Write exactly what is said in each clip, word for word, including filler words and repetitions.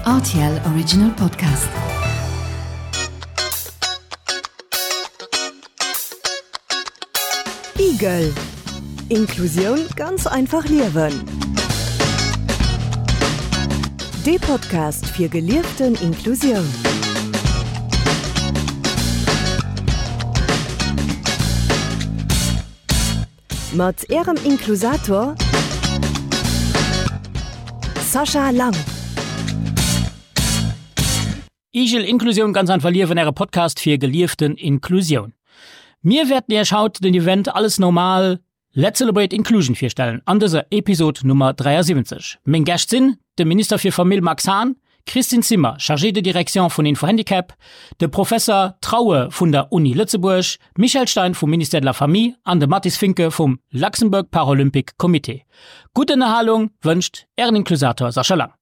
R T L Original Podcast. Igel. Inklusioun ganz einfach liewen. De Podcast fir gelieften Inklusioun. Mat Ärem Inklusator Sascha Lang. Igel Inklusioun ganz einfach liewen, äre Podcast fir gelieften Inklusioun. Mir wäerten Iech haut den Event Alles Normal, Let's Celebrate Inclusion virstellen an dëser Episod Nummer dräiasiwwenzeg. Meng Gäscht sinn de Minister fir Famill Max Hahn, Christine Zimmer, Chargée de Direction vun Info-Handicap, de Professer Traue vun der Uni Lëtzebuerg, Michel Stein vum Ministère de la Famille an de Mathis Finke vum Luxembourg Paralympic Committee. Gutt Ënnerhalung wënscht Ären Inklusator Sascha Lang.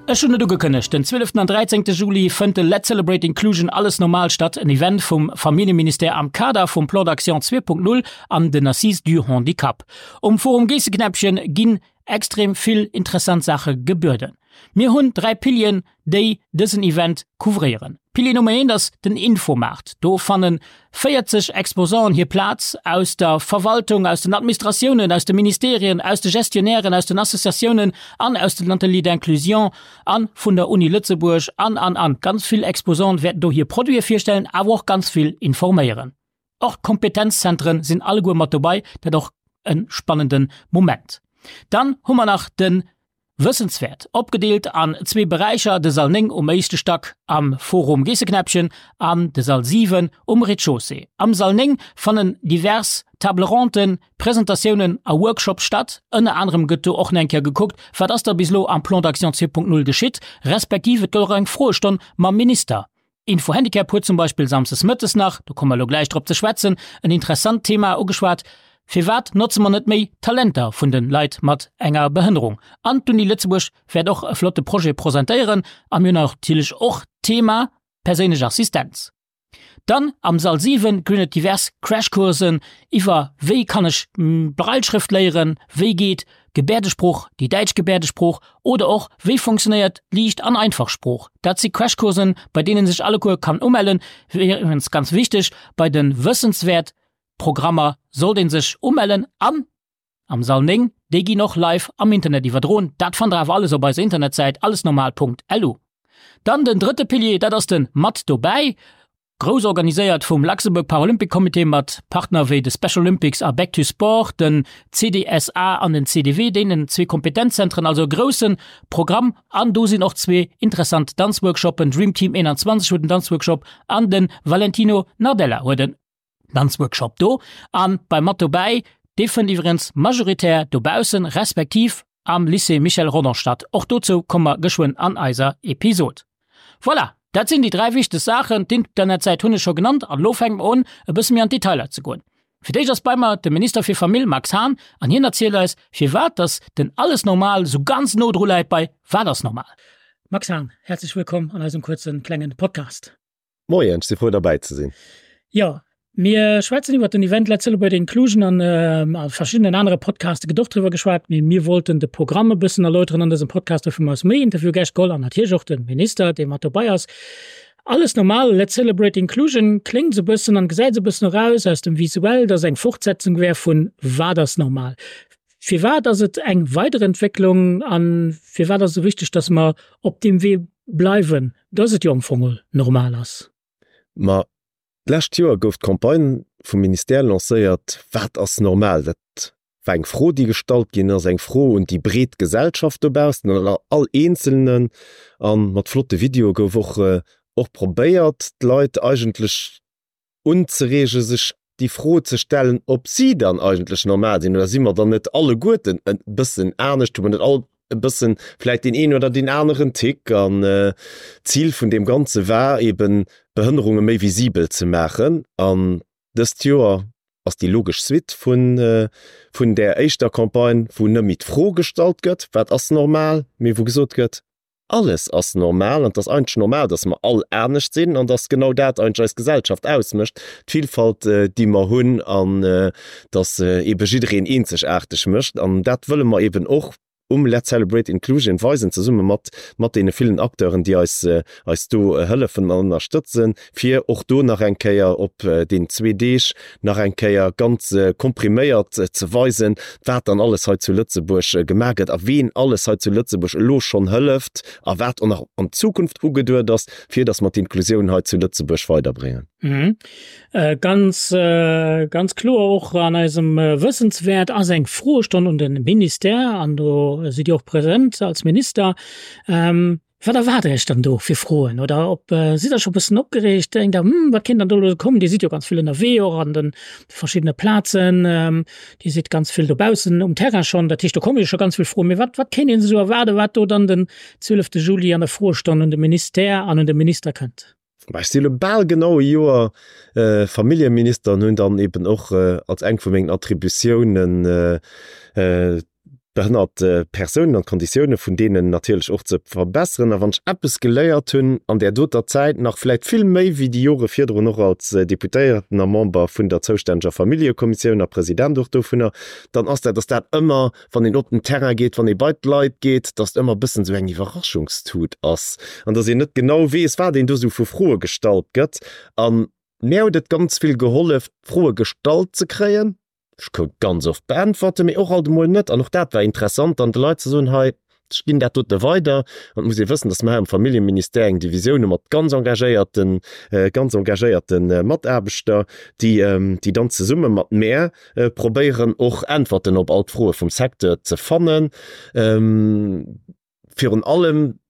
Ech hunn et ugekënnegt, Den zwieleften an dräizéngte Juli fënnt de Let's Celebrate Inclusion Alles Normal statt, en Event vum Familljeministère am Kader vum Plan d'action zwee Punkt null an den Assises du Handicap. Um Forum Geesseknäppchen ginn extrem vill interessant Saache gebueden. Mir hunn dräi Pilieren, déi dësen Event couvréieren. Pilier Nummer eent ass den Infomaart. Do fanne véierzeg Exposanten hir Plaz aus der Verwaltung, aus den Administratiounen, aus de Ministerien, aus de Gestionnairen, aus den Associatiounen an aus den Ateliers d'inclusion a vun der Uni Lëtzebuerg an, an, an. Ganz vill Exposanten wäerten do hir Produite virstellen, awer och ganz vill informéieren. Och d'Kompetenzzentren sinn alleguer mat dobei, dat och e spannende Moment. Dann hu mer nach de Wëssenswäert, opgedeelt an zwee Beräicher, de Sall néng um éischte Stack am Forum Geesseknäppchen an de Sall siwen um Rez-de-chaussée. Am Sall néng fannen divers Table ronden, Presentatiounen a Workshops statt. Ënner anerem gëtt do och nach eng Kéier gekuckt, wat ass da bis elo am Plan d'action zwee Punkt null geschitt, respektiv et gëtt och eng Froestonn mam Minister. Info-Handicap huet zum Beispill samsdes mëttes nach, do komme mer elo gläich drop ze schwätzen, en interessant Thema ugeschwat, Firwat notze mer net méi d'Talenter vun de Leit mat enger Behënnerung? An d'Uni Lëtzebuerg wäert och e flotte Projet presentéieren a mir hunn natierlech och d'Thema perséinlech Assistenz. Dann am Sall siwen ginn et divers Crashcoursen iwwer wéi kann ech Brailleschrëft léieren, wéi geet Gebäerdesprooch, déi däitsch Gebäerdesprooch oder och wéi funktionéiert Liicht an einfach Sprooch. Dat si Crashcoursen, bei deenen sech alleguer kann umellen. Iwwregens ganz wichteg, bei de Wëssenswäert Programmer sollt een sech umellen an am Sall néng, déi ginn och live am Internet iwwerdroen. Dat fannt der awer alles op eiser Internetsäit allesnormal Punkt L U. Dann den drëtte Pilier, dat ass de Mat dobäi, grouss organiséiert vum Luxembourg Paralympic Comité mat Partner wéi de Special Olympics a Back to Sport, den C D S A an den C D W, deenen zwee Kompetenzzentren, also e grousse Programm. An do sinn och zwee interessant Danzworkshoppen, Dream Team einundzwanzeg huet en Danzworkshop an de Valentino Nardella huet en Danzworkshop do. An bei Mat dobäi, dee fënnt iwwregens majoritär dobaussen, respektiv am Lycée Michel Rodange statt. Och dozou komme mer geschwënn an eiser Episod. Voilà, dat sinn déi dräi wichteg Saachen. D'Internetsäit hunn ech scho genannt an elo fänke mer un, e bësse méi an d'Detailer ze goen. Fir d'éischt ass bei mer de Minister fir Famill Max Hahn an hien erzielt eis, firwat dass den Alles Normal sou ganz no dru läit bei Wat ass normal? Max Hahn, herzlech wëllkomm an eisem kuerzen klengen Podcast. Moien, ech si frou derbäi ze sinn. Jo, mir schwätzen iwwer den Event Let's Celebrate Inclusion an a verschiddenen anere Podcaste gëtt och driwwer geschwat, mee mir wollten de Programm e bëssen erläuteren an dësem Podcast. Dofir hu mer eis méi Interviewgäscht geholl an natierlech och de Minister, dee mat dobäi ass. Alles normal, Let's Celebrate Inclusion kléngt esou e bëssen an gesäit esou e bëssen eraus aus dem Visuell, dass eng Fortsetzung wär vun Wat ass normal? Firwat ass et eng Weiderentwécklung a firwat ass et esou wichteg, dass mer op deem Wee bleiwen, dass et jo am Fong normal ass? Ma d'lescht Joer gouf d'Campagne vum Ministère lancéiert Wat ass normal? Dat war eng Fro, déi gestallt ginn ass, eng Fro un déi breet Gesellschaft dobaussen, an all Eenzelnen. A mat flotte Videoe gouf och och probéiert, d'Leit eigentlech unzereegen, sech déi Fro ze stellen, ob si dann eigentlech normal sinn, oder si mer dann net alleguerten e bëssen anescht, hu mer net all e bëssen vläicht deen een oder deen aneren Tick? An d'Zil vun deem Ganze war eben, Behënnerunge méi visibel ze maachen. An dëst Joer ass déi logesch Suite vun, vun där éischter Campagne, wou net méi d'Fro gestallt gëtt, Wat ass normal? mee wou gesot gëtt, Alles ass normal an et ass eigentlech normal, dass mer all anescht sinn an dass genau dat eigentlech eis Gesellschaft ausmécht, d'Villfalt, déi mer hunn an dass eebe jiddereen eenzegaarteg mécht. An dat wëlle mer eeben och um Let's Celebrate Inclusion weisen, zesumme mat mat deene villen Acteuren, déi eis eis do hëllefen an ënnerstëtzen, fir och do nach eng Kéier op deenen zwee Deeg nach eng Kéier ganz kompriméiert ze weisen, wat dann alles hei zu Lëtzebuerg gemaach gëtt a ween alles hei zu Lëtzebuerg elo schonn hëlleft a wat och nach an Zukunft ugeduet ass, fir datt mer d'Inklusioun hei zu Lëtzebuerg weiderbréngen. Ganz, ganz kloer och an eisem Wëssenswäert ass eng Froestonn un de Ministère, an do sidd Dir och present als Minister. Wat erwaart Iech dann do fir Froen? Oder ob sidd Der scho e bëssen opgereegt? Denkt Der, Hm, wat kéint dann do elo kommen? Dir sidd jo ganz vill ënnerwee och an de verschiddene Plazen. Dir sidd ganz vill dobaussen um Terrain schonn. Dat heescht, do komme jo scho ganz vill Froen. Mee wat, wat kéint een esou erwaarden, wat do dann den zwielefte Juli an der Froestonn un de Ministère an un de Minister kënnt? Ech si elo bal genau e Joer Familljeminister an hunn dann eben och als eng vu mengen Attributiounen d'behënnert Persounen an d'Konditioune vun deenen natierlech och ze verbesseren. A wann ech eppes geléiert hunn an där doter Zäit, nach vläicht vill méi wéi déi Jore virdrun och als Deputéierten a Member vun der zoustänneger Familljekommissioun a President och dovunner, dann ass dat, dass dat ëmmer, wann een op den Terrain geet, wann ee bei d'Leit geet, dass et ëmmer e bëssen esou eng Iwwerraschungstut ass an dass een net genau weess, wat een do esou vu Froe gestallt gëtt. A mär huet et ganz vill gehollef, Froe gestallt ze kréien. Ech kout ganz oft beäntwerten, mee och alt emol net. An och dat war interessant, dann de Leit ze soen, hei, ech ginn dat dote weider. An et muss ee wëssen, dass mer hei am Familljeministère eng Divisioun hu mat ganz engagéierten, ganz engagéierte Mataarbechter, déi, déi dann zesumme mat mär probéieren, och Äntwerten op all d'Froe vum Secteur ze fannen. Virun allem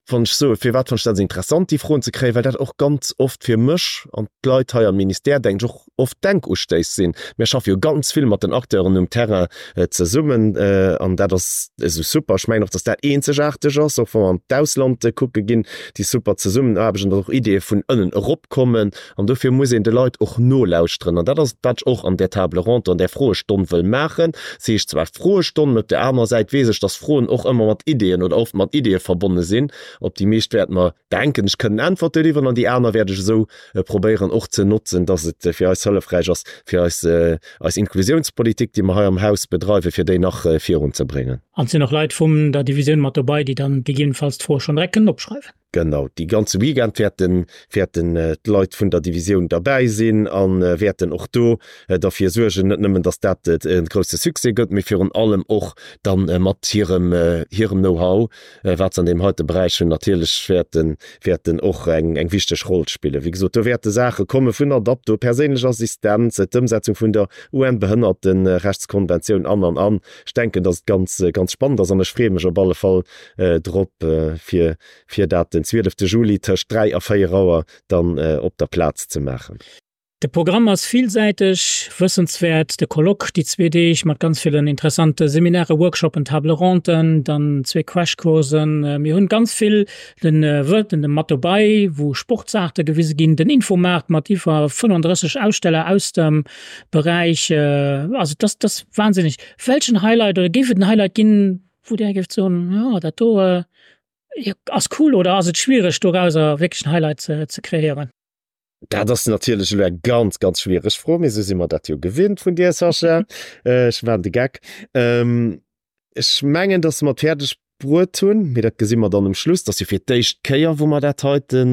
Wann ech soen, firwat fannen ech dat esou interessant, déi Froen ze kréien, well dat och ganz oft fir mech an d'Leit hei am Ministère, denken ech, och oft Denkustéiss sinn. Mir schaffe jo ganz vill mat den Acteuren um Terrain zesummen an dat ass esou super. Ech mengen och, dass dat eenzegaarteg ass, och wa mer an d'Ausland kucke ginn, déi super Zesummenaarbecht an dass och Ideeë vun ënnen eropkommen. An dofir muss een de Leit och nolauschteren. An dat ass et, wat ech och an där Table ronde, an där Froestonn wëll maachen. Se heescht zwar Froestonn, mä op där anerer Säit weess ech, dass Froen och ëmmer mat Ideeën oder oft mat Ideeë verbonne sinn. Op déi meescht wäerte mer, denken ech, kënnen Äntwerte liwweren an déi aner wäert ech esou probéieren och ze notzen, dass et fir eis hëllefräich ass, fir eis, eis Inklusiounspolitik, déi mer hei am Haus bedreiwen, fir déi nach virunzebréngen. An et sinn och Leit vum der Divisioun mat dobei, déi dann gegebenenfalls d'Froe schonn direkt kënnen opschreiwen. Genau, dee ganze Weekend wäerten, wäerten d'Leit vun der Divisioun derbäi sinn a wäerten och do derfir suergen, net nëmmen, datt dat e grousse Succès gëtt, mee virun allem och da mat hirem, hirem Know-how, wat se an deem heite Beräich hunn, natierlech wäerten, wäerten och eng, eng wichteg Roll spillen. Wéi gesot, do wäerte Saache komme vun Adapto, perséinlech Assistenz, d'Ëmsetzung vun der UN-Behënnertenrechtskonventioun an, an, an. Ech denken, datt et ganz, ganz spannend ass an ech freeë mech op alle Fall drop, fir, fir dat den zwielefte Juli tëscht dräi a véier Auer dann op der Plaz ze maachen. De Programm ass villsäiteg, wëssenswäert, de Colloque déi zwee Deeg mat ganz villen interessante Seminairen, Workshoppen, Table ronden, dann zwee Crashcoursen. Mir hunn ganz vill den Wëlten mat dobei, wou Sportsaarte gewise ginn, den Infomaart mat iwwer fënnenddrësseg Aussteller aus dem Beräich. Also dat ass wahnsinneg. Welchen Highlight oder géif et en Highlight ginn, wou Dir géift soen, jo dat do ass cool oder ass et schwiereg dorauser wierklech en Highlight ze kreéieren? Dat ass natierlech elo eng ganz, ganz schwiereg Fro, mee esou si mer dat jo gewinnt vun dir, Sascha. Ech maachen de Geck. Ech mengen, datt mer et fäerdeg bruet hunn, mee dat gesi mer dann um Schluss, dat ass jo fir d'éischt Kéier, wou mer dat heite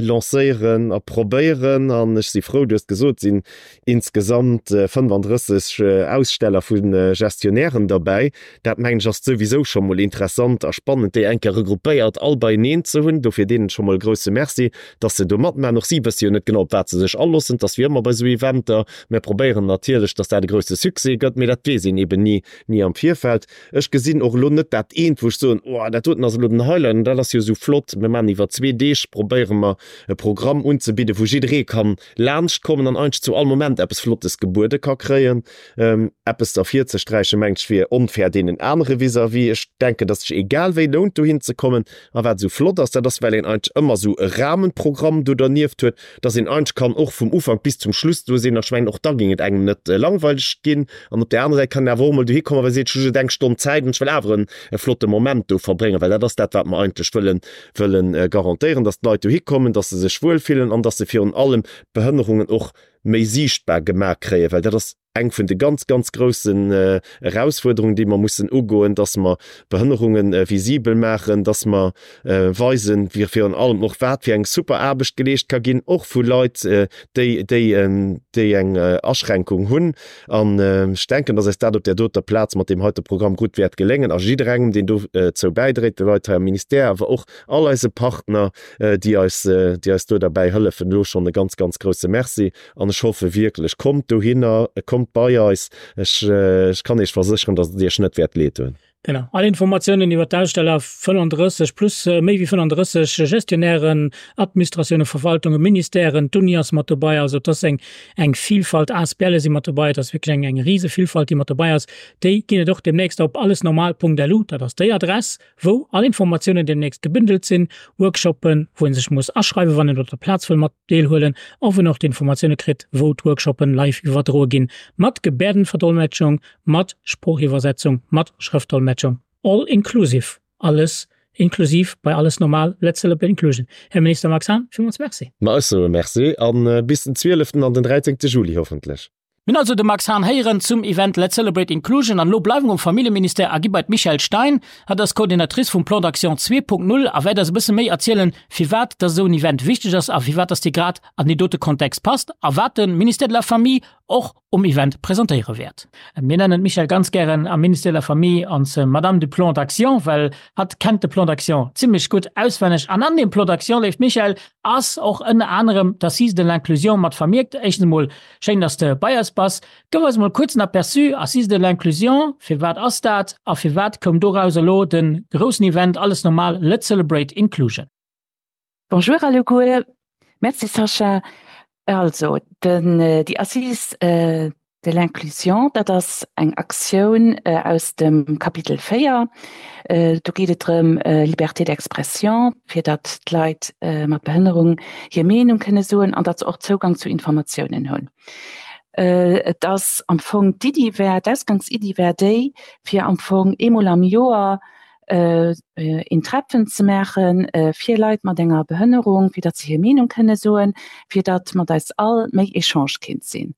lancéieren a probéieren. An ech si frou, du hues gesot, et sinn insgesamt fënnfandrësseg Aussteller vu Gestionnairen derbäi. Dat, mengen ech, ass souwisou scho mol interessant a spannend, déi eng Kéier regroupéiert all beieneen ze hunn. Dofir deenen scho mol e grouse Merci, dass se do matmaachen. Och si wësse jo net genau, op wat se sech aloossen. Et ass wéi ëmmer bei esou Eventer. Mir probéieren natierlech, dass dat e grouse Succès gëtt, mee dat weess een eeben ni, ni am Virfeld. Ech gesinn och elo net dat eent, wou ech ech soen, oh dat doten ass elo den Highlight an dat ass jo esou flott. Mir maachen iwwer zwee Deeg, probéiere mer e Programm unzebidden, wou jidderee kann laanscht kommen an eigentlech zu all Moment eppes Flottes gebuede ka kréien. Eppes ervirzesträichen, mengt ech, wier onfair deenen anere vis-à-vis. Ech denken, dass sech egal wéi lount dohin ze kommen. A wat esou flott ass, dat ass, well een eigentlech ëmmer esou e Rahmenprogramm do dernieft huet, dass een eigentlech kann och vum Ufank bis zum Schluss do sinn. An ech mengen, och da géing et engem net langweileg ginn. An op där anerer Säit kann een awer och emol dohi kommen, well ee seet, ech hu just eng Stonn Zäit an ech wëll awer e flotte Moment do verbréngen, well dat ass dat, wat mer eigentlech wëllen, wëllen garantéieren, dass d'Leit dohi kommen, dass se sech wuelfillen an dass se virun allem d'Behënnerungen och méi siichtbar gemaach kréien, well dat ass eng vun de ganz, ganz groussen Erausfuerderungen, déi mer mussen ugoen, dass mer Behënnerunge visibel maachen, dass mer weisen, virun allem och, wat fir eng super Aarbecht geleescht ka ginn, och vu Leit, déi, déi, déi eng Aschränkung hunn. An ech denken, dass eis dat op där doter Plaz mat deem heite Programm gutt wäert geléngen. A jidderengem, deen dozou bäidréit, de Leit hei am Ministère, awer och all eise Partner, déi eis, déi eis do derbäi hëllefen, elo schonn e ganz, ganz grouse Merci. An ech hoffe wierklech, kommt dohinner, kommt bei eis. Ech, ech kann Iech versécheren, dass et Iech net wäert leed doen. Genau. All Informatiounen iwwer d'Aussteller, fënnenddrësseg plus méi wéi fënnenddrësseg Gestionnairen, Administratiounen, Verwaltungen, Ministèren, d'Uni ass mat dobei. Also et ass eng, eng Vielfalt, ASBLe si mat dobei. Et ass wierklech eng, eng rise Vielfalt, déi mat dobei ass. Déi ginn et och deemnächst op allesnormal Punkt L U. Dat ass déi Adress, wou all Informatiounen deemnächst gebündelt sinn, Workshoppen, wou ee sech muss aschreiwen, wann een op der Plaz wëll mat deelhuelen, a wou een och d'Informatioune kritt, wou d'Workshoppen live iwwerdroe ginn, mat Gebärdenverdolmetschung, mat Sproochiwwersetzung, mat Schrëftdolmetschung. All inclusive, alles inklusiv bei Alles Normal, Let's Celebrate Inclusion. Här Minister Max Hahn, villmools Merci. Ma ech soe Merci a bis den zwieleften an den dräizéngte Juli hoffentlech. Mir hunn also de Max Hahn héieren zum Event Let's Celebrate Inclusion an elo bleiwe mer um Familljeministère a gi bei d'Michèle Stein. Hatt ass Coordinatrice vum Plan d'action zwee Punkt null a wäert eis e bësse méi erzielen, firwat dass esou en Event wichteg ass a firwat dass dee grad an deen dote Kontext passt a wat de Ministère de la Famille och um Event presentéiere wäert. Mir nennen d'Michèle ganz gären am Ministère de la Famille ons Madame du Plan d'action, well hatt kennt de Plan d'action zimlech gutt auswenneg. An an deem Plan d'action, léift Michèle, ass och ënner anerem d'Assises de l'inclusion mat vermierkt. Éischtens emol, schéin, dass de bei eis bass. Gëff eis emol kuerz en Aperçu, Assises de l'inclusion, firwat ass dat a firwat koum doraus elo de groussen Event Alles Normal, Let's Celebrate Inclusion? Bonjour alleguer, merci Sascha. Also den, déi Assises de l'inclusion, dat ass eng Aktioun aus dem Kapitel véier. Do geet et drëm, Liberté d'expression, fir datt d'Leit mat Behënnerung hir Meenung kënne soen an datt se och Zougang zu Informatiounen hunn. Et ass am Fong d'Iddi war, d'Ausgangsiddi war déi, fir am Fong eemol am Joer een Treffen ze maache fir Leit mat enger Behënnerung, fir datt se hir Meenung kënne soen, fir datt mat eis all méi Echange kinnt sinn.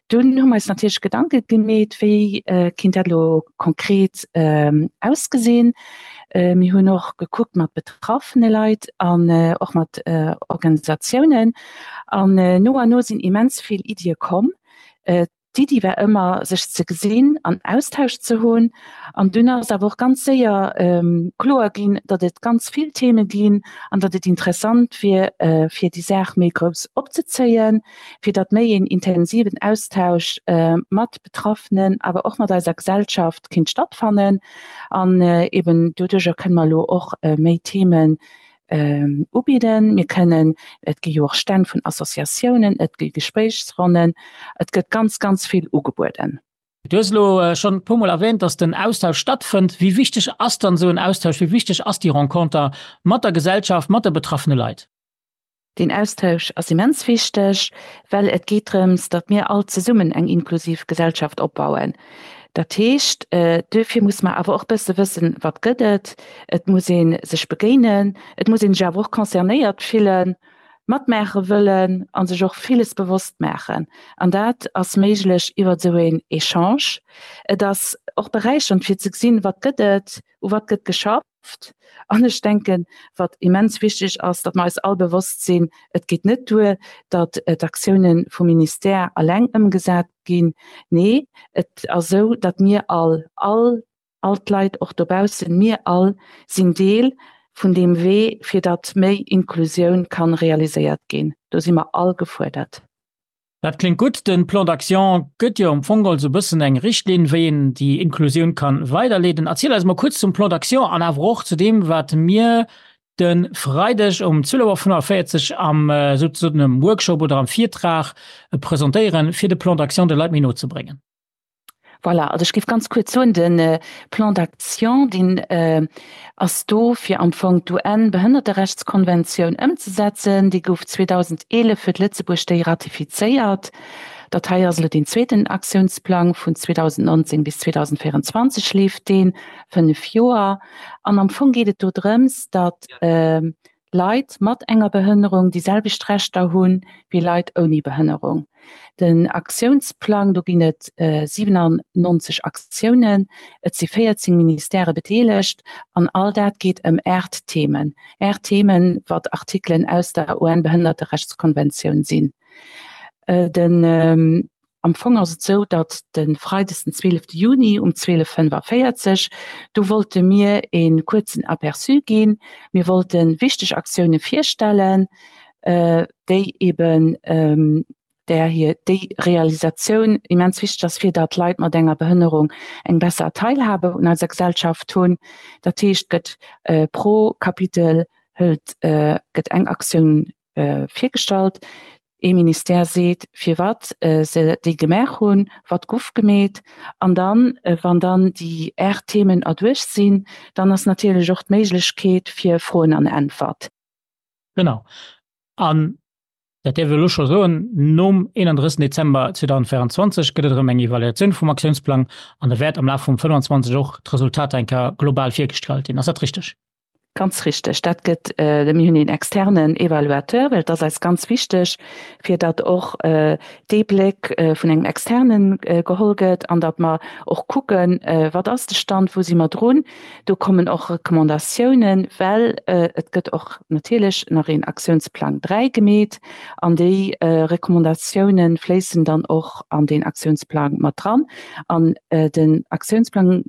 Dunn hu mer eis natierlech Gedanke gemeet, wéi kinnt dat elo konkret ausgesinn. Mir hunn och gekuckt mat betraffene Leit an och mat Organisatiounen. An no an no sinn immens vill Iddie komm. D'Iddi war ëmmer, sech ze gesinn an Austausch ze hunn. An dunn ass awer och ganz séier kloer ginn, datt et ganz vill Theme ginn an datt et interessant wier, fir déi Saach méi grouss opzezéien, fir datt méi een intensiven Austausch mat Betraffenen, awer och mat eiser Gesellschaft kinnt stattfannen. An eben doduercher kënne mer elo och méi Themen ubidden. Mir kënnen, et gi jo och Stänn vun Associatiounen, et gi Gespréichsronnen, et gëtt ganz, ganz vill ugebueden. Du hues elo schonn e puermol erwähnt, dass den Austausch stattfënnt. Wéi wichteg ass dann esou en Austausch? Wéi wichteg ass déi Renconter mat der Gesellschaft, mat de betraffene Leit? Deen Austausch ass immens wichteg, well et geet drëms, datt mir all zesummen eng inklusiv Gesellschaft opbauen. Dat heescht, duerfir muss mer awer och bësse wëssen, wat gëtt et. Et muss ee sech begéinen, et muss ee sech awer och concernéiert fillen, matmaache wëllen a sech och villes bewosst maachen. An dat ass méiglech iwwer esou een Echange. Et ass och beräichernd fir ze gesinn, wat gëtt et, u wat gëtt geschafft. An ech denken, wat immens wichteg ass, datt mer eis all bewosst sinn, et geet net duer, datt d'Aktiounen vum Ministère alleng ëmgesat ginn. Nee, et ass esou, datt mir all, all, all d'Leit och dobaussen, mir all sinn Deel vun deem Wee, fir datt méi Inklusioun ka realiséiert ginn. Do si mer all gefuerdert. Dat kléngt gutt. De Plan d'action gëtt jo am Fong geholl esou e bëssen eng Richtlinn, wéi een déi Inklusioun ka weiderleeden. Erziel eis mol kuerz zum Plan d'action an awer och zu deem, wat mir de Freideg um zwielef Auer fënnefaféierzeg am souzesoen am Workshop oder am Virtrag presentéieren, fir de Plan d'action de Leit méi no ze bréngen. Voilà, also ech géif ganz kuerz soen, de Plan d'action, deen ass do, fir am Fong d'UN-Behënnerterechtskonventioun ëmzesetzen. Déi gouf zweedausendeelef huet Lëtzebuerg déi ratifizéiert. Dat hei ass elo deen zweeten Aktiounsplang, vun zweedausendnonzéng bis zweedausendvéierenzwanzeg leeft deen, fënnef Joer. An am Fong geet et do drëms, datt Leit mat enger Behënnerung déi selwecht Rechter hunn wéi Leit ouni Behënnerung. Den Aktiounsplang, do ginn et siwenannonzeg Aktiounen, et si véierzéng Ministèrë bedeelegt an all dat geet ëm aacht Themen. Aacht Themen, wat Artikelen aus der UN-Behënnerterechtskonventioun sinn. Den Am Fong ass et esou, datt de Freides den zwielefte Juni um zwielef fënnefaféierzeg, do wollte mir ee kuerzen Aperçu ginn. Mir wollte wichteg Aktioune virstellen, déi eben där hir déi Realisatioun immens wichteg ass, fir datt Leit mat enger Behënnerung eng besser Teilhabe un eiser Gesellschaft hunn. Dat heescht, gëtt pro Kapitel hëlt gëtt eng Aktioun virgestallt. Ee Ministère seet, firwat se déi gemaach hunn, wat guff gemeet. An dann, wann dann déi aacht Themen erduercht sinn, dann ass natierlech och d'Méiglechkeet fir Froen an Äntwert. Genau. An dat däerf ech elo scho soen, nom eenandrëssigsten Dezember zweedausendvéierenzwanzeg gëtt et erëm eng Evaluatioun vum Aktiounsplang an da wäert am Laf vum fënnwanzwanzeg och d'Resultater eng Kéier global virgestallt ginn. Ass dat richteg? Ganz richteg. Dat gëtt, mir hunn een externen Evaluateur, well et ass eis ganz wichteg, fir datt och dee Bléck vun engem Externe geholl gëtt an datt mer och kucken, wat ass de Stand, wou si mer drun. Do kommen och Recommandatiounen, well et gëtt och natierlech nach een Aktiounsplang dräi gemeet an déi Recommandatiounen fléissen dann och an deen Aktiounsplang mat dran. An den Aktiounsplang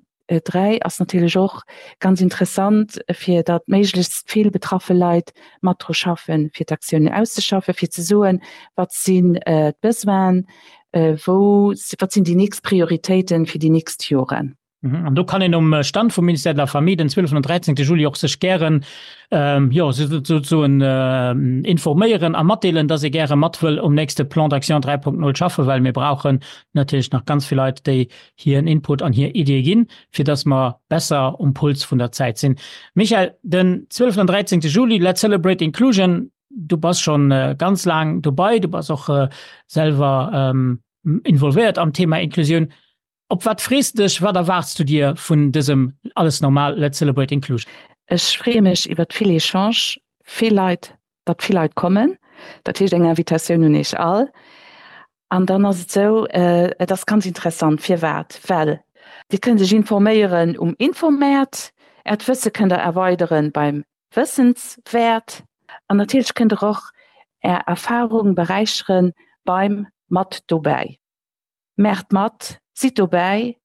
dräi ass natierlech och ganz interessant, fir datt méiglechst vill betraffe Leit mat dru schaffen, fir d'Aktiounen auszeschaffen, fir ze soen, wat sinn d'Besoinen, wou, wat sinn déi nächst Prioritéiten fir déi nächst Joren. An do kann een um Stand vum Ministère de la Famille den zwieleften an dräizéngte Juli och sech gären, jo, souzesoen informéieren a matdeelen, datt ee gäre mat wëll um nächste Plan d'action dräi Punkt null schaffen, well mir brauchen natierlech nach ganz vill Leit, déi hiren Input an hir Iddie ginn, fir dass mer besser um Puls vun der Zäit sinn. Michèle, den zwieleften an dräizéngte Juli, Let's Celebrate Inclusion, du bass scho ganz laang dobei, du bass och selwer involvéiert am Thema Inklusioun. Op wat frees de dech, wat erwaarts du dir vun dësem Alles Normal, Let's Celebrate Inclusion? Ech freeë mech iwwert vill Echange, vill Leit, datt vill Leit kommen. Dat heescht eng Invitatioun un iech all. An dann ass et esou, et ass ganz interessant. Firwat? Well Dir kënnt Iech informéieren um Infomäert, Äert Wësse kënnt Der erweidere beim Wëssenswäert an natierlech kënnt Der och Är Erfarung beräichere beim Mat dobäi. Maacht mat, sidd dobäi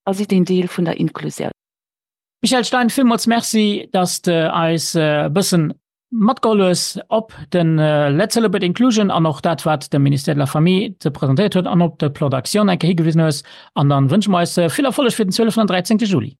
a sidd een Deel vun der Inklusioun. Michèle Stein, villmools Merci, dass de eis e bëssen matgeholl hues op de Let's Celebrate Inclusion an och dat, wat de Ministère de la Famille ze presentéiert huet an op de Plan d'action eng Kéier higewisen hues. An dann wënsche mer eis vill Erfolleg fir den zwieleften an dräizéngte Juli.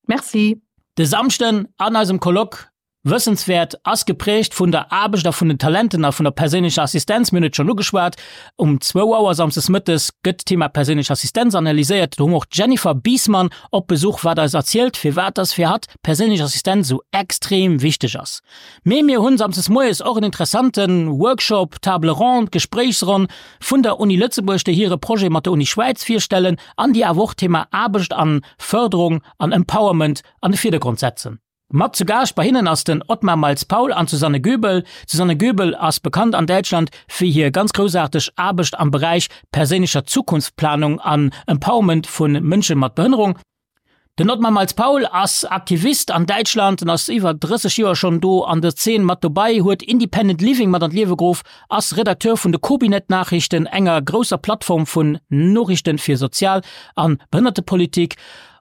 Merci. De Samschden an eisem Colloque Wëssenswäert ass geprägt vun der Aarbecht a vun den Talenten a vun der perséinlecher Assistenz. Mir hunn et schonn ugeschwat, um zwou Auer samsdes mëttes gëtt d'Thema perséinlech Assistenz analyséiert. Do hu mer och d'Jennifer Biesmann op Besuch, wat eis erzielt, firwat dass fir hatt perséinlech Assistenz esou extrem wichteg ass. Mee mir hunn samsdes moies och en interessante Workshop, Table ronde, Gespréichsronn vun der Uni Lëtzebuerg, déi hire Projet mat der Uni Schwäiz virstellen an déi awer och d'Thema Aarbecht an Fërderung an Empowerment an de Virdergrond setzen. Mat zu Gaascht bei hinnen ass den Otmar Miles-Paul an d'Susanne Göbel. D'Susanne Göbel ass bekannt an Däitschland fir hir ganz groussaarteg Aarbecht am Beräich perséinlecher Zukunftsplanung an Empowerment vu Mënsche mat Behënnerung. Den Otmar Miles-Paul ass Aktivist an Däitschland en ass iwwer drësseg Joer schonn do an der Zeen mat dobei, huet Independent Living mat an d'Liewe geruff, ass Redakteur vun de Kobinet-Nachrichten, enger grousser Plattform vun Noriichten fir Sozial an Behënnertepolitik.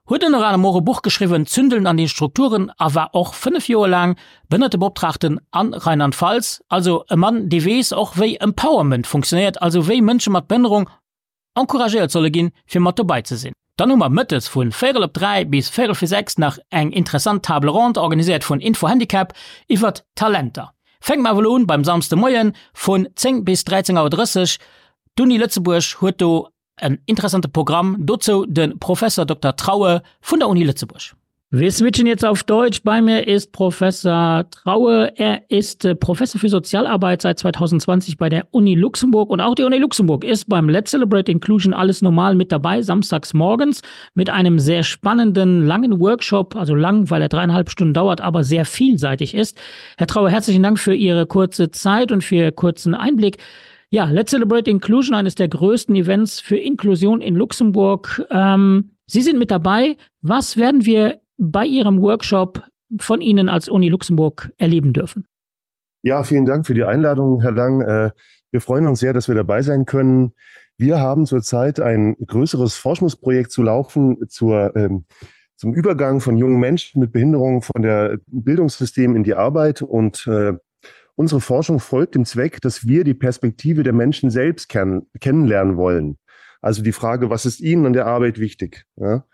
Huet ënner anerem och e Buch geschriwwen Zündeln an den Strukturen a war och fënnef Joer laang Behënnertebeoptraagten an Rheinland-Pfalz. Also e Mann, dee weess och wéi Empowerment funktionéiert, also wéi Mënsche mat Behënnerung encouragéiert solle ginn, fir mat dobei ze sinn. Dann hu mer mëttes vun véierel op dräi bis véierel fir sechs nach eng interessant Table ronde, organiséiert vun Info-Handicap, iwwert Talenter. Fänke mer awer elo un beim Samsde Moien vun zéng bis dräizéng Auer drësseg. D'Uni Lëtzebuerg huet do en interessante Programm, dozou de Professor Dokter Traue vun der Uni Lëtzebuerg. Wir switchen jetzt auf Deutsch. Bei mir ist Professor Traue. Er ist äh, Professor für Sozialarbeit seit zweitausendzwanzig bei der Uni Luxemburg. Und auch die Uni Luxemburg ist beim Let's Celebrate Inclusion alles normal mit dabei, samstags morgens, mit einem sehr spannenden, langen Workshop. Also lang, weil er dreieinhalb Stunden dauert, aber sehr vielseitig ist. Herr Traue, herzlichen Dank für Ihre kurze Zeit und für Ihren kurzen Einblick. Ja, Let's Celebrate Inclusion, eines der größten Events für Inklusion in Luxemburg. Ähm, Sie sind mit dabei. Was werden wir bei Ihrem Workshop von Ihnen als Uni Luxemburg erleben dürfen? Ja, vielen Dank für die Einladung, Herr Lang. Äh, wir freuen uns sehr, dass wir dabei sein können. Wir haben zurzeit ein größeres Forschungsprojekt zu laufen zur, ähm, zum Übergang von jungen Menschen mit Behinderung von der Bildungssystem in die Arbeit. Und, äh, unsere Forschung folgt dem Zweck, dass wir die Perspektive der Menschen selbst kenn kennenlernen wollen. Also die Frage, was ist ihnen an der Arbeit wichtig? Ja?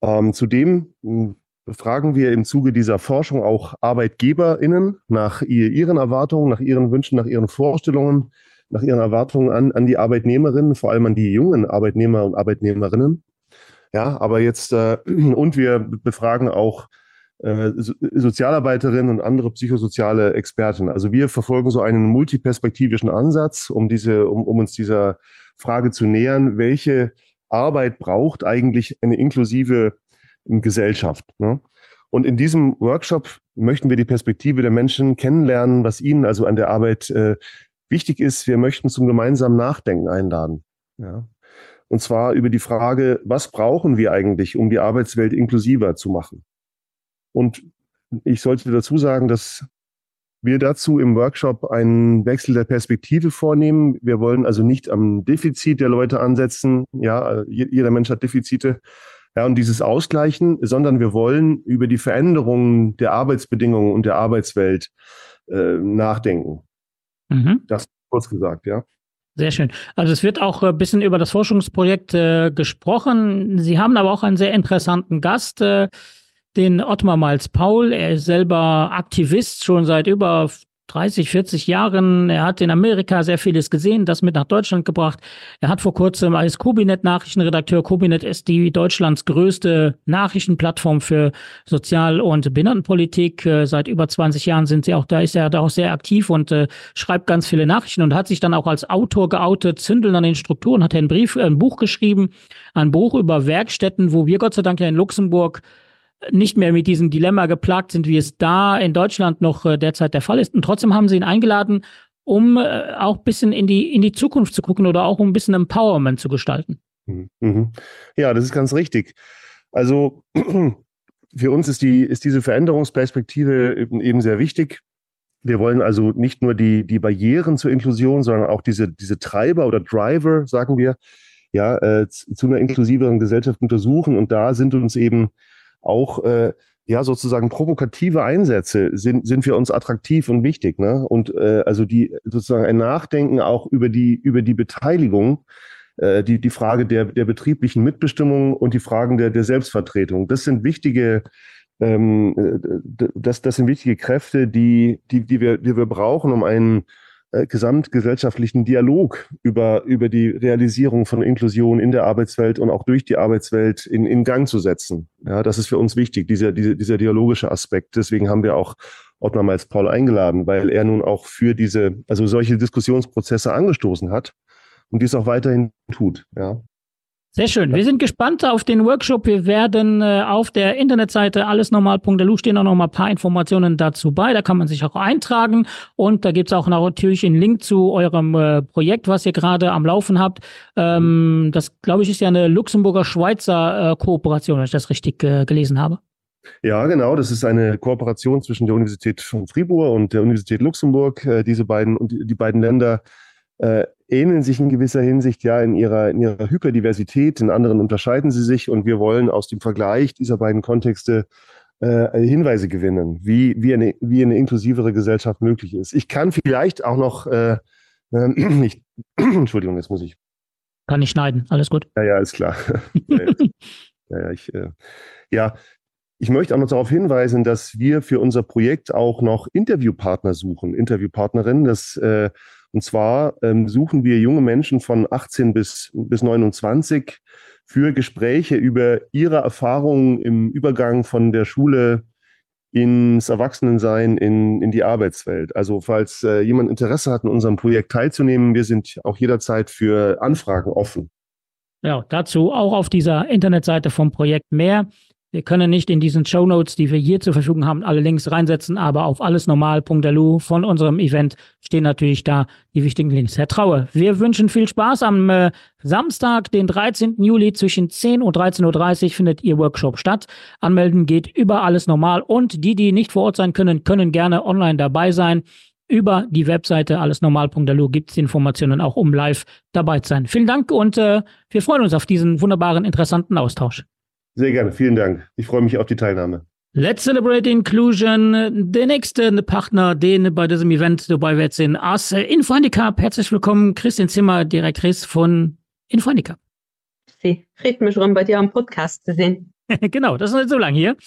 Ähm, zudem hm, befragen wir im Zuge dieser Forschung auch ArbeitgeberInnen nach ihren Erwartungen, nach ihren Wünschen, nach ihren Vorstellungen, nach ihren Erwartungen an, an die Arbeitnehmerinnen, vor allem an die jungen Arbeitnehmer und Arbeitnehmerinnen. Ja, aber jetzt, äh, und wir befragen auch äh, Sozialarbeiterinnen und andere psychosoziale Experten. Also wir verfolgen so einen multiperspektivischen Ansatz, um diese, um, um uns dieser Frage zu nähern, welche Arbeit braucht eigentlich eine inklusive Gesellschaft. Ne? Und in diesem Workshop möchten wir die Perspektive der Menschen kennenlernen, was ihnen also an der Arbeit äh, wichtig ist. Wir möchten zum gemeinsamen Nachdenken einladen. Ja? Und zwar über die Frage, was brauchen wir eigentlich, um die Arbeitswelt inklusiver zu machen? Und ich sollte dazu sagen, dass wir dazu im Workshop einen Wechsel der Perspektive vornehmen. Wir wollen also nicht am Defizit der Leute ansetzen. Ja, jeder Mensch hat Defizite. Ja, und dieses Ausgleichen, sondern wir wollen über die Veränderungen der Arbeitsbedingungen und der Arbeitswelt äh, nachdenken. Mhm. Das kurz gesagt, ja. Sehr schön. Also es wird auch ein bisschen über das Forschungsprojekt äh, gesprochen. Sie haben aber auch einen sehr interessanten Gast, äh, den Ottmar Miles Paul. Er ist selber Aktivist schon seit über dreißig, vierzig Jahren. Er hat in Amerika sehr vieles gesehen, das mit nach Deutschland gebracht. Er hat vor kurzem als Kobinet-Nachrichtenredakteur, Kobinet ist die Deutschlands größte Nachrichtenplattform für Sozial- und Behindertenpolitik. Äh, seit über zwanzig Jahren sind sie auch da, ist er da auch sehr aktiv und, äh, schreibt ganz viele Nachrichten und hat sich dann auch als Autor geoutet. Zündeln an den Strukturen, hat er einen Brief, ein Buch geschrieben, ein Buch über Werkstätten, wo wir Gott sei Dank ja in Luxemburg nicht mehr mit diesem Dilemma geplagt sind, wie es da in Deutschland noch, äh, derzeit der Fall ist. Und trotzdem haben sie ihn eingeladen, um, äh, auch ein bisschen in die, in die Zukunft zu gucken oder auch um ein bisschen Empowerment zu gestalten. Mhm. Mhm. Ja, das ist ganz richtig. Also für uns ist, die, ist diese Veränderungsperspektive eben, eben sehr wichtig. Wir wollen also nicht nur die, die Barrieren zur Inklusion, sondern auch diese, diese Treiber oder Driver, sagen wir, ja, äh, z-, zu einer inklusiveren Gesellschaft untersuchen. Und da sind uns eben auch, äh, ja, sozusagen provokative Einsätze sind, sind für uns attraktiv und wichtig, ne? Und, äh, also die sozusagen ein Nachdenken auch über die, über die Beteiligung, äh, die, die Frage der, der betrieblichen Mitbestimmung und die Fragen der, der Selbstvertretung. Das sind wichtige, ähm, äh, d-, das, das sind wichtige Kräfte, die, die, die wir, die wir brauchen, um einen, äh, gesamtgesellschaftlichen Dialog über, über die Realisierung von Inklusion in der Arbeitswelt und auch durch die Arbeitswelt in, in Gang zu setzen. Ja, das ist für uns wichtig, dieser, dieser, dieser dialogische Aspekt. Deswegen haben wir auch Ottmar Miles Paul eingeladen, weil er nun auch für diese, also solche Diskussionsprozesse angestoßen hat und dies auch weiterhin tut. Ja. Sehr schön. Wir sind gespannt auf den Workshop. Wir werden, äh, auf der Internetseite allesnormal punkt l u stehen auch noch mal ein paar Informationen dazu bei. Da kann man sich auch eintragen. Und da gibt's auch noch natürlich einen Link zu eurem, äh, Projekt, was ihr gerade am Laufen habt. Ähm, das, glaube ich, ist ja eine Luxemburger-Schweizer, äh, Kooperation, wenn ich das richtig, äh, gelesen habe. Ja, genau. Das ist eine Kooperation zwischen der Universität von Fribourg und der Universität Luxemburg. Äh, diese beiden und die, die beiden Länder, äh, ähneln sich in gewisser Hinsicht ja in ihrer, in ihrer Hyperdiversität, in anderen unterscheiden sie sich und wir wollen aus dem Vergleich dieser beiden Kontexte äh, Hinweise gewinnen, wie, wie, eine, wie eine inklusivere Gesellschaft möglich ist. Ich kann vielleicht auch noch äh, äh, ich, Entschuldigung, jetzt muss ich. Kann ich schneiden, alles gut. Ja, ja, ist klar. ja, ja, ich, äh, ja, ich möchte auch noch darauf hinweisen, dass wir für unser Projekt auch noch Interviewpartner suchen, Interviewpartnerinnen. Das, äh, und zwar ähm, suchen wir junge Menschen von achtzehn bis, bis neunundzwanzig für Gespräche über ihre Erfahrungen im Übergang von der Schule ins Erwachsenensein, in, in die Arbeitswelt. Also falls, äh, jemand Interesse hat, an unserem Projekt teilzunehmen, wir sind auch jederzeit für Anfragen offen. Ja, dazu auch auf dieser Internetseite vom Projekt mehr. Wir können nicht in diesen Shownotes, die wir hier zur Verfügung haben, alle Links reinsetzen, aber auf allesnormal punkt L U von unserem Event stehen natürlich da die wichtigen Links. Herr Traue, wir wünschen viel Spaß am, äh, Samstag, den dreizehnten Juli zwischen zehn und dreizehn Uhr dreißig findet Ihr Workshop statt. Anmelden geht über alles normal und die, die nicht vor Ort sein können, können gerne online dabei sein. Über die Webseite allesnormal punkt L U gibt's die Informationen auch, um live dabei zu sein. Vielen Dank und, äh, wir freuen uns auf diesen wunderbaren, interessanten Austausch. Sehr gerne, vielen Dank. Ich freue mich auf die Teilnahme. Let's Celebrate Inclusion. Der nächste Partner, den bei diesem Event dabei wird, sind As Info-Handicap. Herzlich willkommen, Christine Zimmer, Direktrice von Info-Handicap. Sie freut mich schon, bei dir am Podcast zu sehen. Genau, das ist nicht so lange hier.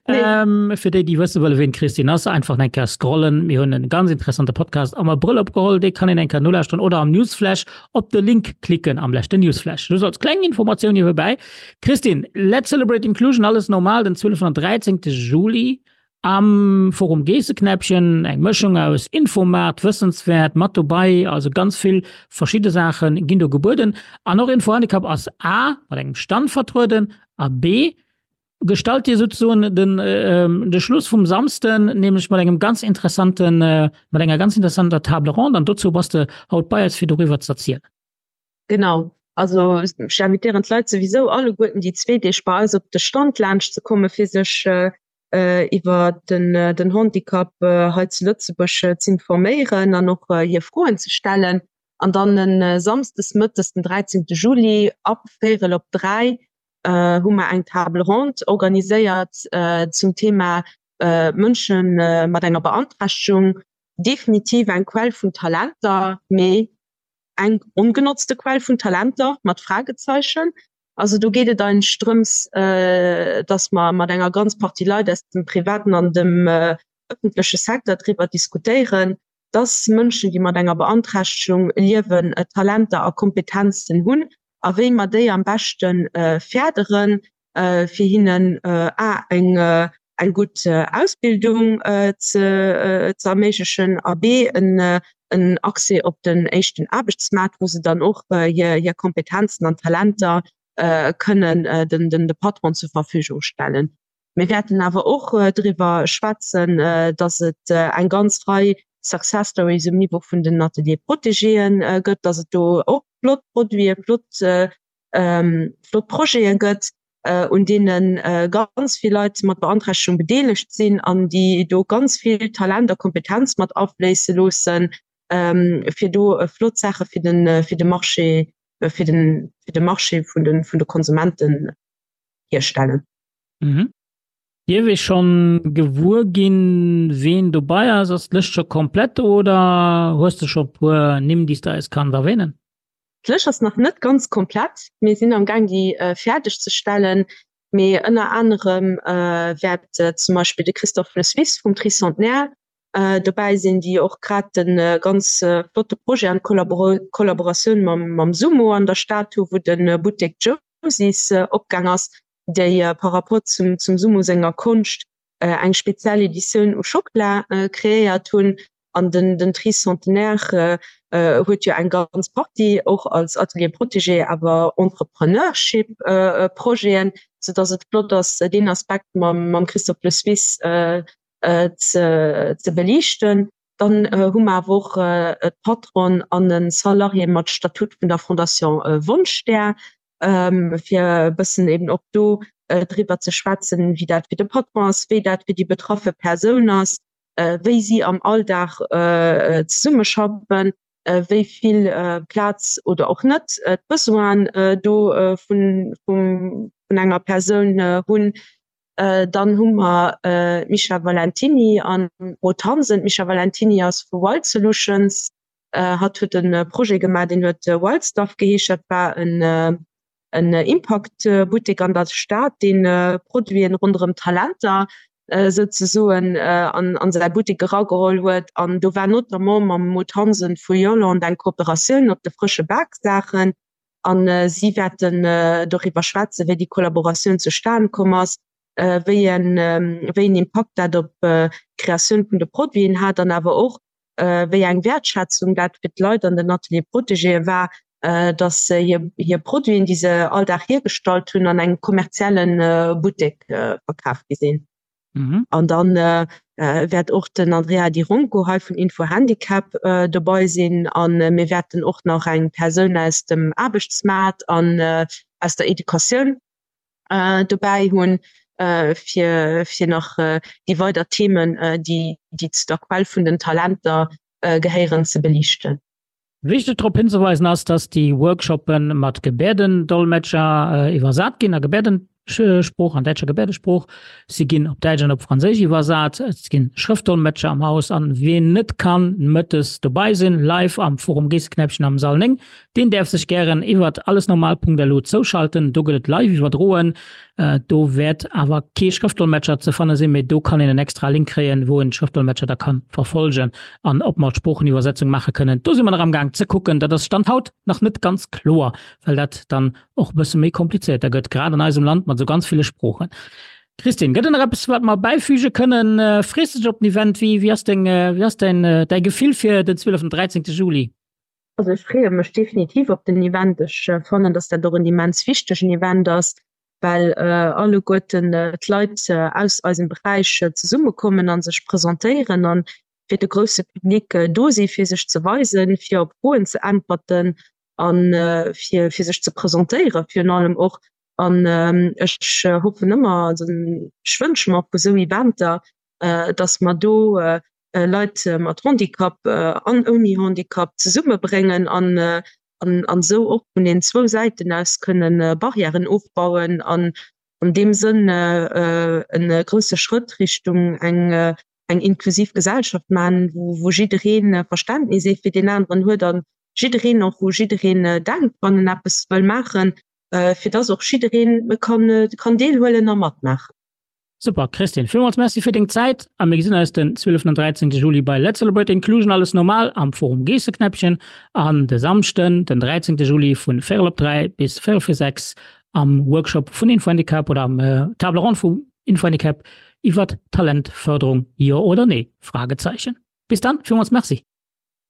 Nee. Ähm, für die, die wissen wollen, wen Christine ist, einfach ein Kerl scrollen. Wir haben einen ganz interessanten Podcast am Brille abgeholt, die kann in ein Nuller Stunden oder am Newsflash auf den Link klicken am letzten Newsflash. Du sollst kleine Informationen hier vorbei. Christine, Let's Celebrate Inclusion, alles normal, den zwölften und dreizehnten Juli am Forum Geesseknäppchen, eine Mischung aus Infomarkt, Wissenswert, mat dabei, also ganz viel verschiedene Sachen gehen da geboten. An noch Info-Handicap als A, mit einem Stand vertreten, A, B, gestalt ihr sozusagen den, ähm, den Schluss vom Samstag, nämlich mit einem ganz interessanten, äh, mit einer ganz interessanten Table Ronde, und dazu was du haut bei, als für darüber zu erzählen. Genau. Also, ich invitiere die Leute sowieso alle guten, die zwei, die Spaß auf den Stand lunch zu kommen, für sich, äh, äh, über den, äh, den Handicap, äh, halt zu Lützeburg, äh, zu informieren, dann noch, äh, hier Fragen zu stellen. Und dann den, äh, Samstag, mittags, den dreizehnten Juli, ab Viertel ab drei, äh, haben wir eine Table Ronde organisiert, äh, zum Thema, äh, Menschen, äh, mit einer Beeinträchtigung. Definitiv ein Quell von Talenter, mehr eng ungenutzte Quell von Talenter mit Fragezeichen. Also du geht dann Ströms, äh, dass man mit einer ganz Partie Leute aus dem privaten und dem, äh, öffentlichen Sektor darüber diskutieren, dass Menschen, die mit einer Beeinträchtigung leben, äh, Talente und Kompetenzen haben, a wéi man déi am besten, äh, fördern, äh, fir hinnen, äh, A, eng, äh, eng gut, äh, Ausbildung, äh, ze, äh, ze erméiglechen, a B, en, äh, en Accès op den echten Aarbechtsmarkt, wo se dann och, äh, hir, hir Kompetenzen an Talenter, äh, können, äh, den, den, de Patron zur Verfügung stellen. Wir werden awer och, äh, drüber schwätzen, äh, dass et, äh, eng ganz frei Success Stories im Niveau vun den Atelier Protégéen, äh, gëtt, dass et do och flott Produite, flott, äh, ähm, flott Projete gëtt, äh, und denen, äh, ganz viel Leute mat Beantragung bedeelegt sinn, an die do ganz viel Talent und Kompetenz mat afléisse loossen, ähm, fir do, äh, flott Sache fir den, äh, fir den Marché, äh, fir den, fir den Marché vun den, vun de Konsumenten herstellen. Mhm. Hier will schon gewuer ginn, wen du bei hast, ist das schon komplett oder hast du schon pur nimm dies da es kann erwähnen? D'Lëscht ass nach net ganz komplett. Wir sind am Gang, die, äh, fertigzustellen. Mee ënner anderem, äh, wird, äh, zum Beispiel de Christophe Le Suisse vom Tricentenaire, äh, dabei sind, die auch grad den, äh, ganz, äh, flotte Projet an Kollabor-, Kollaboration mam, mam Sumo an der Statue, wo den, äh, Boutique Josies, äh, opgang ass, déi, äh, par rapport zum, zum Sumo-Sänger Kunst, äh, eng spezielle Edition u Schokola, äh, kreéiert hunn. An den, den Tricentenaire, äh, äh, huet jo eng ganz Party och als Atelier Protégé, awer Entrepreneurship, äh, äh, Projeten, so dass et flott ass, den Aspekt mam, mam Christophe Le Suisse, äh, äh, ze, ze belichten. Dann, äh, hu mer awer och, äh, Patron an den Salarié mat Statut vun der Fondation, äh, Wunschstär, ähm, fir e bëssen eben och do, äh, driwwer ze schwätzen, wie dat fir de Patron ass, wéi dat fir die betraffe Persoun ass, äh, wéi sie am Alltag, äh, äh, zesummeschaffen. wéi vill Plaz oder och net d'Besoinen do vun vun enger Persoun hunn. Dann hu mer d'Micha Valentiny an d'Maud Hansen. D'Micha Valentiny ass vu Wild Solutions. Hatt huet e Projet gemaach, deen huet Wild Stuff geheescht. Dat war en en Impaktbuttek an der Stad, dee Produiten ronderëm Talenter souzesoen an säi Buttek erageholl huet. An do war notamment mam Maud Hansen vu Yolande eng Kooperatioun op de frësche Baksaachen. A si wäerten doriwwer schwätzen, wéi déi Kollaboratioun zustan komm ass, wéi en wéi en Impakt dat op d'Kreatioun vun de Produiten hat an awer och wéi eng Wäertschätzung dat fir d'Leit an den Atelier protégéë war, datt se hir hir Produiten, déi se all Dag hiergestallt hunn, an engem kommerzielle Buttek verkaf gi sinn. An dann wäert och den Andrea Di Ronco hei vun Info Handicap dobei sinn. A mir wäerten och nach eng Persoun aus dem Aarbechtsmaart an aus der Educatioun dobäi hunn, fir fir nach déi weider Themen, déi déi zu der Quell vun den Talenter gehéieren, ze beliichten. Wichteg drop hinzeweisen ass, dass déi Workshoppe mat Gebäerdendolmetscher iwwersat ginn a Gebäerdensprooch, an däitscher Gebäerdesprooch. Si ginn op Däitsch an op Franséisch iwwersat. Et ginn Schrëftdolmetscher am Haus an wien net kann mëttes dobei sinn, live am Forum Geesseknäppchen am Sall néng, deen däerf sech gären iwwert allesnormal.lu zouschalten. Do gëtt et live iwwerdroen. Do wäert awer kee Schrëftdolmetscher ze fanne sinn, mee do kann een en extra Link kréien, wou en d'Schrëftdolmetscher da ka verfollegen an ob mer d'Sproocheniwwersetzung maache kënnen. Do si mer nach amgaang ze kucken. Dat ass Stand haut nach net ganz kloer, well dat dann och e bësse méi komplizéierter gëtt, grad an eisem Land mat esou ganz ville Sproochen. Christine, gëtt et nach eppes, wat mer bäifüge kënnen? Frees de dech op den Event? Wéi, wéi ass deng, wéi ass däin, däi Gefill fir den zwieleften, dräizéngte Juli? Also ech freeë mech definitiv op den Event. Ech fannen, dass dat och en immens wichtegen Event ass, well alleguerten d'Leit aus eisem Beräich zesummekommen a sech presentéieren an fir de grousse Public do si fir sech ze weisen, fir op Froen ze äntwerten a fir fir sech ze presentéieren virun allem och. An ech hoffen ëmmer, also ech wënsche mer vu sou Eventer, datt mer do Leit mat Handicap an ouni Handicap zesummebréngen an an an esou och vun den zwou Säiten aus kënnen Barrièren ofbauen an an deem Sënn e grousse Schrëtt Richtung eng eng inklusiv Gesellschaft man, wou wou jiddereen Verständnis ee fir deen aneren huet an jiddereen och u jiddereen denkt, wann en eppes wëll maachen, fir dass och jiddereen kann kann deelhuelen a matmaachen. Super Christine, villmools Merci fir deng Zäit a mir gesinn eis den zwieleften an dräizéngte Juli bei Let's Celebrate Inclusion Alles Normal am Forum Geesseknäppchen an de Samschden den dräizéngte Juli vun véierel op dräi bis véierel vir sechs am Workshop vun Infohandicap oder am Table Ronde vu Infohandicap iwwert Talentförderung, jo oder nee? Fragezeichen. Bis dann, villmools Merci.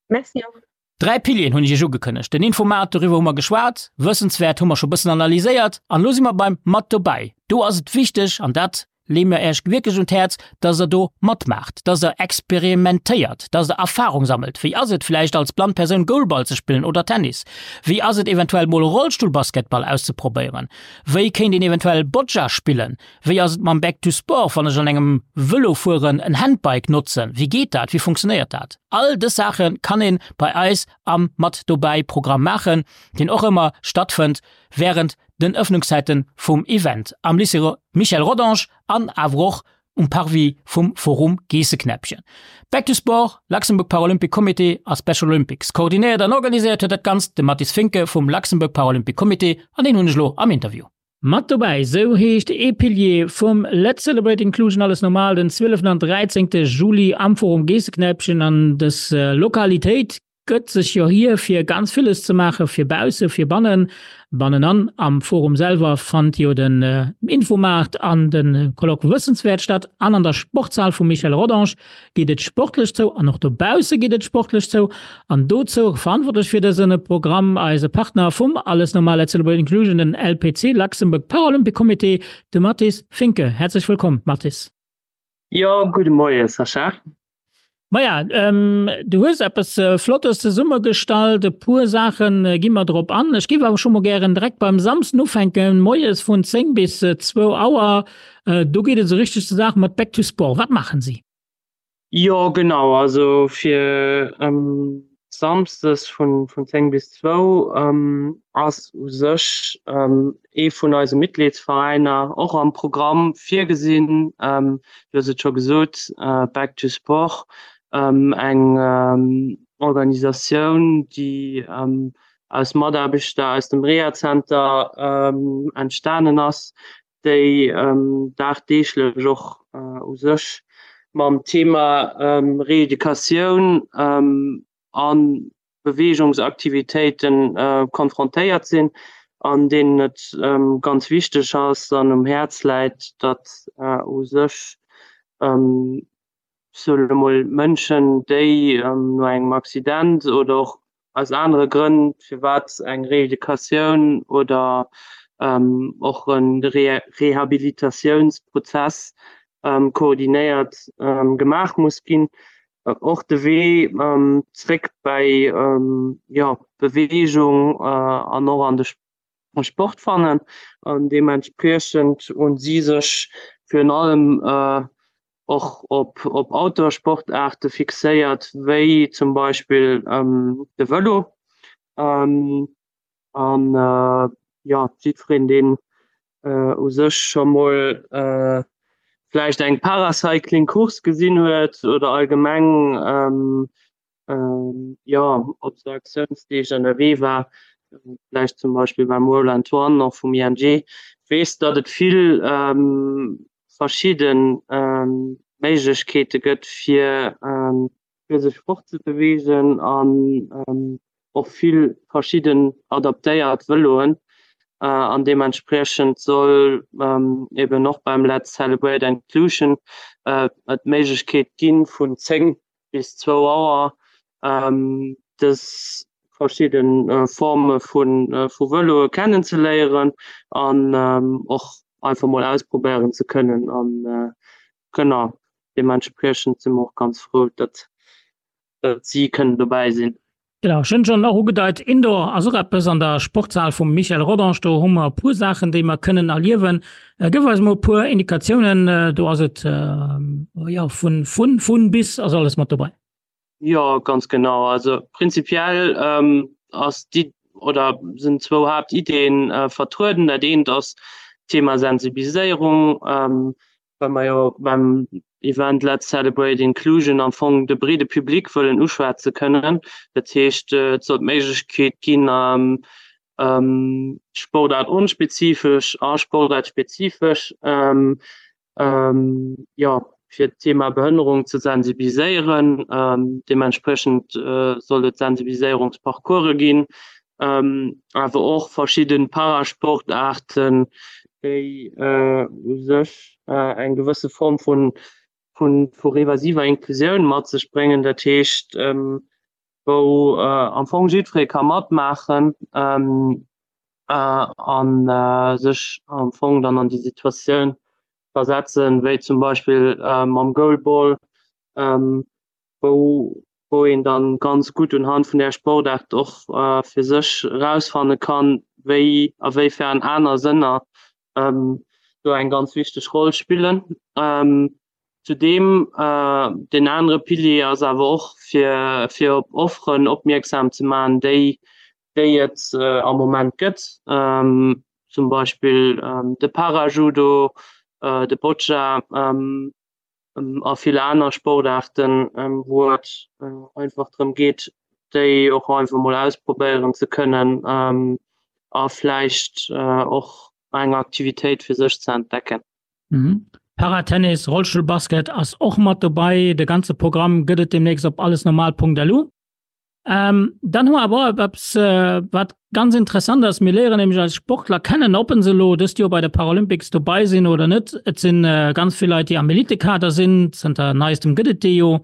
Merci och. Dräi Pilieren hunn ech Iech ugekënnegt, den Infomat, doriwwer hu mer geschwat, Wëssenswäert hu mer scho bëssen analyséiert an elo si mer beim Mat dobäi. Do ass et wichteg, an dat leeë mer Iech wierklech un d'Häerz, dass Der do matmaacht, dass Der experimentéiert, dass Der Erfahrung sammelt. Wéi ass et vläicht als blann Persoun Goalball ze spillen oder Tennis? Wéi ass et eventuell mol Rollstullbasketball auszeprobéieren? Wéi kéint een eventuell Boccia spillen? Wéi ass et mam Back to Sport, wann ech an engem Vëlo fueren en Handbike notzen? Wéi geet dat? Wéi funktionéiert dat? All dës Saache kann ee bei eis am Mat dobäi Programm maachen, deen och ëmmer stattfënnt wärend den Ëffnungszäite vum Event am Lycée Michel Rodange an awer och um Parvis vum Forum Geesseknäppchen. Back to Sport, Luxembourg Paralympic Comité a Special Olympics. Koordinéiert an organiséiert huet dat Ganzt de Mathis Finke vum Luxembourg Paralympic Comité an deen hunn ech elo am Interview. Mat dobäi, sou heescht ee Pilier vum Let's Celebrate Inclusion Alles Normal den zwieleften an dräizéngte Juli am Forum Geesseknäppchen. An dës Lokalitéit gëtt sech jo hier fir ganz villes ze maachen, fir bausse, fir bannen. Bannenan am Forum selwer fannt jo den Infomaart an de Colloque Wëssenswäert statt an an der Sportshal vum Michel Rodange geet et sportlech zou an och dobausse geet et sportlech zou. An dozou verantwortlech fir dëse Programm eise Partner vum Alles Normal Let's Celebrate Inclusion, den L P C, Luxembourg Paralympic Comité, de Mathis Finke. Häerzlech wëllkomm, Mathis. Jo, gudde Moie Sascha. Maja, du hues eppes Flottes zesummegestallt, e puer Saache gi mer drop an. Ech géif awer scho mol gären direkt beim Samsden ufänken, moies vun zéng bis zwou Auer. Do geet et esou richteg zur Saach mat Back to Sport. Wat maachen si? Jo genau, also fir Samsdes vun zéng bis zwou ass u sech ee vun eise Mitgliedsveräiner och am Programm virgesinn. Du hues et scho gesot, Back to Sport, eng Organisatioun, déi aus Mataarbechter aus dem Rehazenter entstanen ass, déi dagdeeglech och u sech mam Thema Reeducatioun a Beweegungsaktivitéite konfrontéiert sinn an deenen et ganz wichteg ass an um Häerz läit, datt u sech soen elo mol, Mënschen, déi no engem Accident oder och aus anere Grënn, firwat eng Reeducatioun oder och e Rehabilitatiounsprozess koordinéiert gemaach muss ginn, och de Wee zréck bäi, jo, Beweegung an och an de Sport fannen. An deementspriechend hu si sech virun allem och op op Outdoor-Sportaarte fixéiert, wéi zum Beispill de Vëlo. An jo, jiddwereen, deen u sech scho mol vläicht eng Paracycling-Course gesinn huet oder allgemeng jo op sou Aktiounsdeeg ënnerwee war, vläicht zum Beispill beim Roland One och vum I N G, weess, datt et vill verschidde Méiglechkeete gëtt, fir fir sech fortzebeweegen an och vill verschidden adaptéiert Vëloen. An deementspriechend soll eben och beim Let's Celebrate Inclusion et d'Méiglechkeet gi vun zéng bis zwou Auer dës verschidde Forme vu Vëloe kennenzeléieren an och einfach mol ausprobéieren ze kënnen. An genau deementspriechend si mer och ganz frou, datt si kënnen dobäi sinn. Genau, ech hunn schonn och ugedeit, Indoor ass och eppes an der Sportshal vum Michel Rodange. Do hu mer e puer Saachen, déi mer kënnen erliewen. Gëff eis mol e puer Indikatiounen. Do ass et, jo, vun, vun, vun bis ass alles mat dobäi. Jo, ganz genau. Also prinzipiell ass déi oder sinn zwou Haaptiddeen vertrueden. Dat eent ass d'Thema Sensibiliséierung. Well mer jo beim Event Let's Celebrate Inclusion am Fong de breede Public wëllen uschwätze kënnen. Dat heescht, et soll d'Méiglechkeet ginn, sportaartonspezifesch a sportaartspezifesch, jo, fir d'Thema Behënnerung ze sensibiliséieren. Deementspriechend soll et Sensibiliséierungsparcourse ginn, awer och verschidde Parasportaarten, déi u sech eng gewësse Form vu vu reversiver Inklusioun mat sech bréngen, dat heescht wou am Fong jiddweree ka matmaachen a sech am Fong dann an déi Situatioun versetzen, wéi zum Beispill mam Goalball, wou wou een dann ganz gutt unhand vun där Sportaart och fir sech erausfanne kann, wéi a wéifern aner Sënner do eng ganz wichteg Roll spillen. Zudeem deen anere Pilier ass awer och fir fir op Offeren opmierksam ze maachen, déi déi et am Moment gëtt, zum Beispill de Parajudo, de Boccia, a vill aner Sportaarten, wou et einfach drëm geet, déi och einfach mol ausprobéieren ze kënnen a vläicht och eng Aktivitéit fir sech ze entdecken. Paratennis, Rollstullbasket ass och mat dobäi. De ganze Programm gëtt et deemnächst op allesnormal Punkt L U. Dann hu mer awer och eppes, wat ganz interessant ass. Mir léieren nämlech eis Sportler kennen, ob se elo dëst Joer bei de Paralympics dobei sinn oder net. Et si ganz vill Leit, déi am Elitekader sinn. Zënter neistem gëtt et déi jo.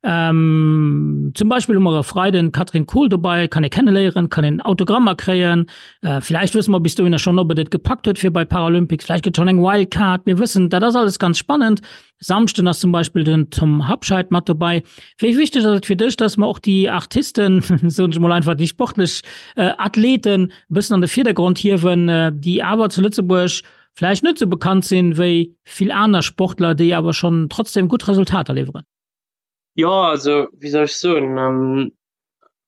Zum Beispill hu mer e Freiden d'Katrin Kohl dobei, kann ee kenneléieren, kann een Autogrammer kréien. Villäicht wësse mer bis dohinner schonn, ob et et gepackt huet fir bei d'Paralympics. Vläicht gëtt schonn eng Wildcard. Mir wëssen, dat ass alles ganz spannend. Samschden ass zum Beispill den Tom Habscheid mat dobei. Wéi wichteg ass et fir dech, dass mer och déi Artisten, soen ech mol einfach, déi sportlech Athleten e bëssen an de Virdergrond hiewen, déi awer zu Lëtzebuerg vläicht net esou bekannt sinn wéi vill aner Sportler, déi awer schonn trotzdem gutt Resultater liwweren? Jo, also wéi soll ech soen,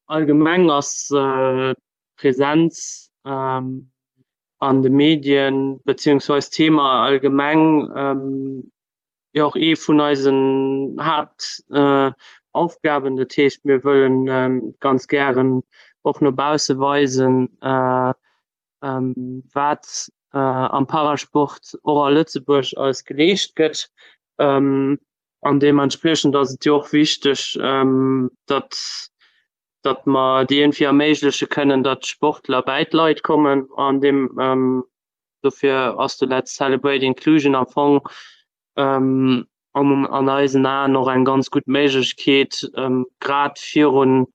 Allgemeng ass d'Präsenz an de Medien beziehungsweis d'Thema allgemeng jo och ee vun eisen Haaptaufgaben. Dat heescht, mir wëllen ganz gären och no bausse weisen, wat am Parasport och a Lëtzebuerg alles geleescht gëtt. An deementspriechend ass et jo och wichteg, datt datt mer et iergendwéi erméigleche kënnen, datt d'Sportler bäi d'Leit kommen. An deem dofir ass de Let's Celebrate Inclusion am Fong an eisen Aen och eng ganz gutt Méiglechkeet, grad virun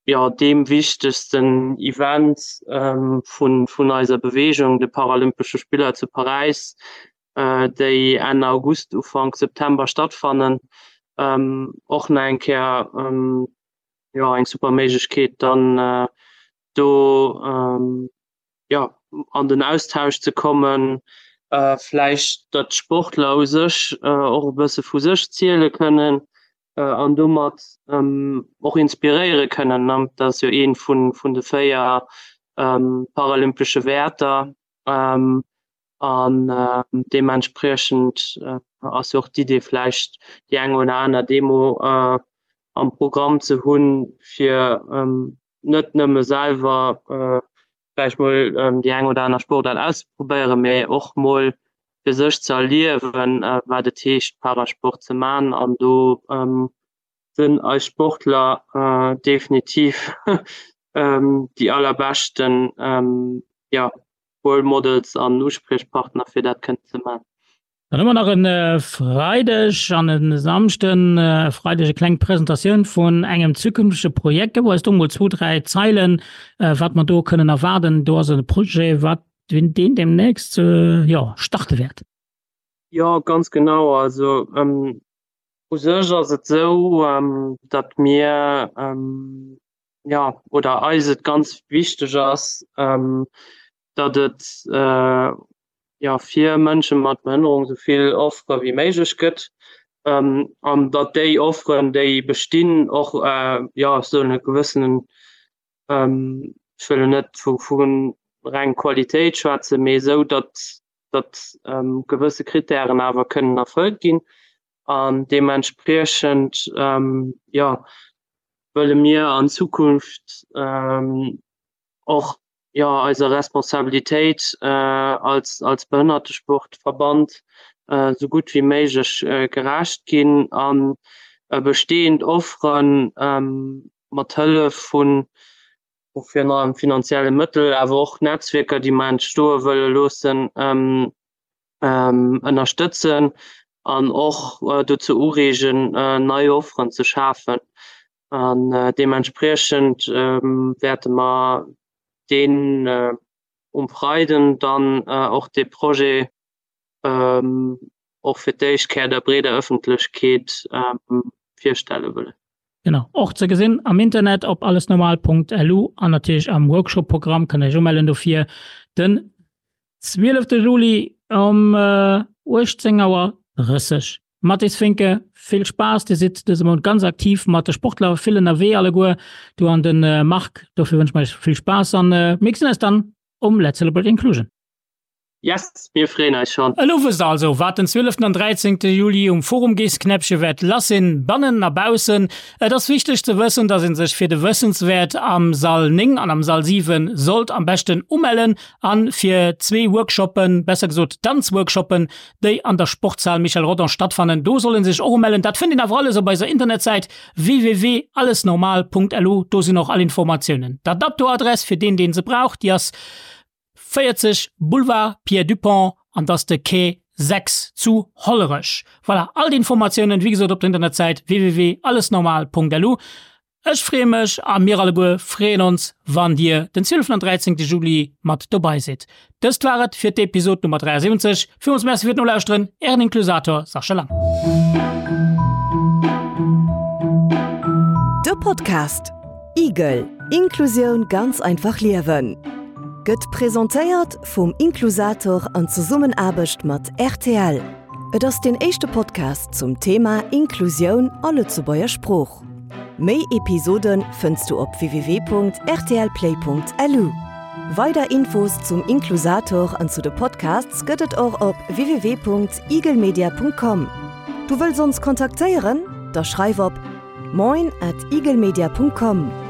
jo, deem wichtegsten Event vun vun eiser Beweegung, de Paralympesche Spiller zu Paräis, déi Enn August, Ufank September stattfannen, och nach eng Kéier jo, eng super Méiglechkeet dann do jo, an den Austausch ze kommen, vläicht datt d'Sportler u sech och e bësse vu sech ziele kënnen an domat och inspiréiere kënnen. Dat ass jo ee vun vun de véier paralympesche Wäerter an deementspriechend ass jo och d'Idee vläicht déi eng oder aner Demo am Programm ze hunn, fir net nëmme selwer vläicht mol déi eng oder aner Sportaart auszeprobéieren, mee och mol fir sech ze erliewen, wat et heescht, Parasport ze man. An do sinn eis Sportler definitiv déi allerbeschten, jo, Role Models an Uspriechpartner, fir dat kënnen ze man. Dann hu mer nach e Freideg an e Samschden. E Freideg e kleng Presentatioun vun engem zukünftege Projekt. Gëff eis do mol zwou, dräi Zeilen, wat mer do kënnen erwaarden. Do ass e Projet, wat deen deemnächst, jo, starte wäert. Jo, ganz genau. Also u sech ass et esou, datt mir, jo, oder eis et ganz wichteg ass, datt et jo fir Mënsche mat Behënnerung esou vill Offere wéi méiglech gëtt an datt déi Offeren, déi bestinn, och jo esou e gewëssenen, ech wëll elo net vu vu reng Qualitéit schwätzen, mee esou, datt datt gewësse Krittären awer kënnen erfëllt ginn. An deementspriechend jo wëlle mir an Zukunft och jo eiser Responsabilitéit als als Behënnertesportverband esou gutt wéi méiglech gerecht ginn an bestehend Offere mat Hëllef vun virun allem finanzielle Mëttel, awer och Netzwierker, déi mer entstoe wëlle loossen, ënnerstëtzen an och dozou ureegen, nei Offeren ze schafen. An deementspriechend wäerte mer deen um Freiden dann och dee Projet och fir d'éischt Kéier der breeder Ëffentlechkeet virstelle wëllen. Genau, och ze gesinn am Internet op allesnormal.lu an natierlech am Workshop-Programm kënnt der iech umellen dofir den zwielefte Juli um uechtzéng Auer drësseg. Mathis Finke, vill Spaass, Dir sidd dëse Mount ganz aktiv mat de Sportler, vill ënnerwee alleguer, du an de Marc, dofir wënsche mer iech vill Spaass an mir gesinn eis dann um Let's Celebrate Inclusion. Yes, mir freeën eis schonn! Elo wësst der also, wat den zwieleften an dräizéngte Juli um Forum Geessknäppche wäert lass sinn, bannen a baussen. Et ass wichteg ze wëssen, dass een sech fir de Wëssenswäert am Sall néng an am Sall siwen sollt am beschten umellen an fir zwee Workshoppen, besser gesot Danzworkshoppen, déi an der Sportshal Michel Rodange stattfannen, do soll een sech och umellen. Dat fënnt een awer alles op eiser Internetsäit www.allesnormal.lu, do sinn och all Informatiounen. D'Adapto-Adress fir deen, deen se brauch, déi ass véierzeg Boulevard Pierre Dupong an dass de Quai sechs zu Hollerech. Voilà, all d'Informatiounen, wéi gesot, op der Internetsäit www.allesnormal.lu. Ech freeë mech a mir alleguer freeën ons, wann Dir den zwieleften an dräizéngte Juli mat dobei sidd. Dëst war et fir d'Episod Nummer dräiasiwwenzeg. Villmools Merci fir d'Nolauschteren, Ären Inklusator Sascha Lang. De Podcast Igel, Inklusioun ganz einfach liewen gëtt presentéiert vum Inklusator an Zesummenaarbecht mat rtl. Et ass deen éischte Podcast zum Thema Inklusioun a Lëtzebuerger Sprooch. Méi Episode fënns du op www.rtlplay.lu. Weider Infos zum Inklusator an zu de Podcasts gëtt et och op www.eaglemedia.com. Du wëlls ons kontaktéieren? Da schreif op moin at eaglemedia.com.